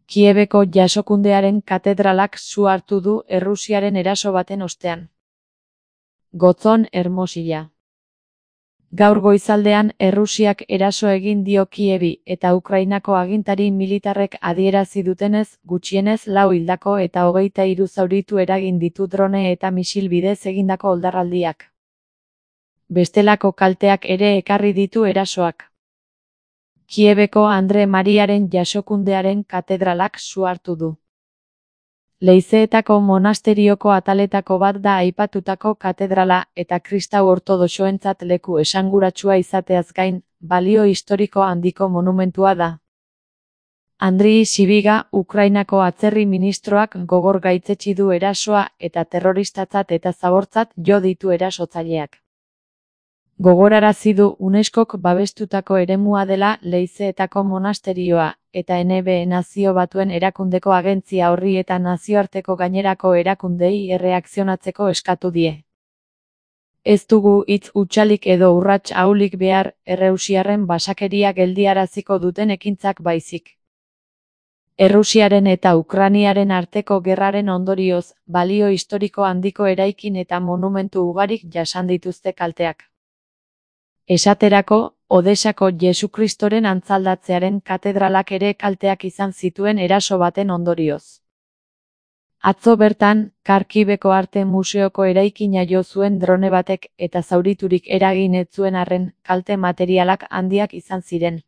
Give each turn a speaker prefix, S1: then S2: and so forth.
S1: Kiebeko jasokundearen katedralak su hartu du Errusiaren eraso baten ostean. Gotzon Hermosilla. Gaur goizaldean Errusiak eraso egin dio Kiebi eta Ukrainako agintari militarrek adierazi dutenez, gutxienez 4 hildako eta 23 zauritu eragin ditu drone eta misil bidez egindako oldarraldiak. Bestelako kalteak ere ekarri ditu erasoak. Kiebeko Andre Mariaren jasokundearen katedralak su hartu du. Leizeetako monasterioko ataletako bat da aipatutako katedrala eta kristau ortodoxoentzat leku esanguratsua izateaz gain, balio historiko handiko monumentua da. Andrii Sibiga, Ukrainako atzerri ministroak gogor gaitzetsi du erasoa eta terroristatzat eta zabortzat jo ditu erasotzaileak. Gogorarazi du UNESCOk babestutako eremua dela Leizeetako monasterioa, eta NB Nazio Batuen erakundeko agentzia horri eta nazioarteko gainerako erakundei erreakzionatzeko eskatu die. Ez dugu hitz hutsalik edo urrats ahulik behar, errusiarren basakeria geldiaraziko duten ekintzak baizik. Errusiaren eta Ukrainiaren arteko gerraren ondorioz, balio historiko handiko eraikin eta monumentu ugarik jasan dituzte kalteak. Esaterako, Odesako Jesukristoren antzaldatzearen katedralak ere kalteak izan zituen eraso baten ondorioz. Atzo bertan, Kharkiveko Arte Museoko eraikina jo zuen drone batek eta zauriturik eragin ez zuen arren, kalte materialak handiak izan ziren.